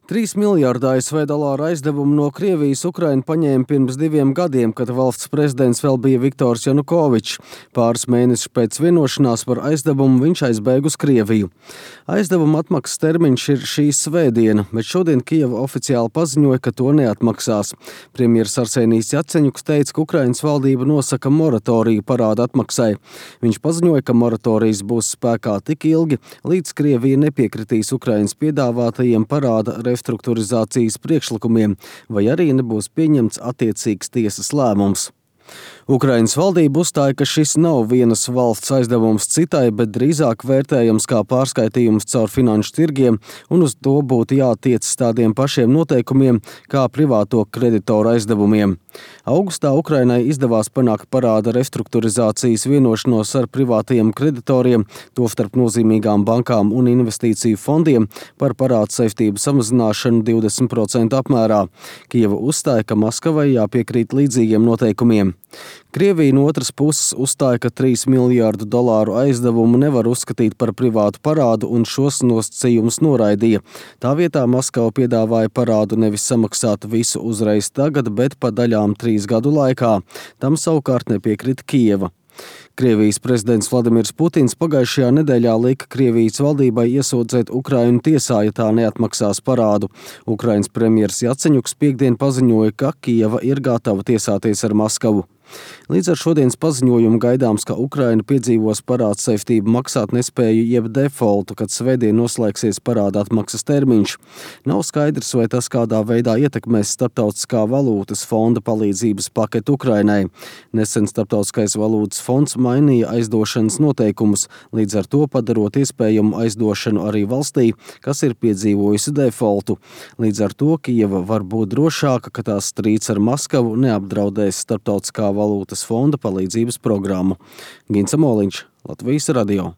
3 miljārdi ASV dolāru aizdevumu no Krievijas Ukraina paņēma pirms 2 gadiem, kad valsts prezidents vēl bija Viktors Janukovičs. Pāris mēnešus pēc vienošanās par aizdevumu viņš aizbēga uz Krieviju. Aizdevuma atmaksas termiņš ir šī svētdiena, bet šodien Kijeva oficiāli paziņoja, ka to neatmaksās. Premjers Arsenijs Jaceņuks teica, ka Ukrainas valdība nosaka moratoriju parāda atmaksai. Viņš paziņoja, ka moratorijas būs spēkā tik ilgi, līdz Krievija nepiekritīs Ukrainas piedāvātajiem parāda restruktūrizācijas priekšlikumiem, vai arī nebūs pieņemts attiecīgs tiesas lēmums. Ukrainas valdība uzstāja, ka šis nav vienas valsts aizdevums citai, bet drīzāk vērtējams kā pārskaitījums caur finanšu tirgiem, un uz to būtu jātiecas tādiem pašiem noteikumiem kā privāto kreditoru aizdevumiem. Augustā Ukrainai izdevās panākt parāda restruktūrizācijas vienošanos ar privātajiem kreditoriem, tostarp nozīmīgām bankām un investīciju fondiem par parādu saistību samazināšanu 20% apmērā. Kijeva uzstāja, ka Maskavai jāpiekrīt līdzīgiem noteikumiem. Krievija no otras puses uzstāja, ka 3 miljārdu dolāru aizdevumu nevar uzskatīt par privātu parādu un šos nosacījumus noraidīja. Tā vietā Maskava piedāvāja parādu nevis samaksāt visu uzreiz tagad, bet pa daļām 3 gadu laikā. Tam savukārt nepiekrita Kijeva. Krievijas prezidents Vladimirs Putins pagājušajā nedēļā lika Krievijas valdībai iesūdzēt Ukrainu tiesā, ja tā neatmaksās parādu. Ukrainas premjers Jaceņuks piektdien paziņoja, ka Kijeva ir gatava tiesāties ar Maskavu. Līdz ar šodienas paziņojumu gaidāms, ka Ukraina piedzīvos parādu saistību maksāt nespēju jeb defaultu, kad svētdien noslēgsies parāda atmaksas termiņš. Nav skaidrs, vai tas kādā veidā ietekmēs Starptautiskā valūtas fonda palīdzības paketu Ukrainai. Nesen Starptautiskais valūtas fonds mainīja aizdošanas noteikumus, līdz ar to padarot iespējamu aizdošanu arī valstī, kas ir piedzīvojusi defaultu. Līdz ar to Kijeva var būt drošāka, ka tās strīds ar Maskavu neapdraudēs Starptautiskā valūtas fonda palīdzības programmu. Gints Amoliņš, Latvijas radio.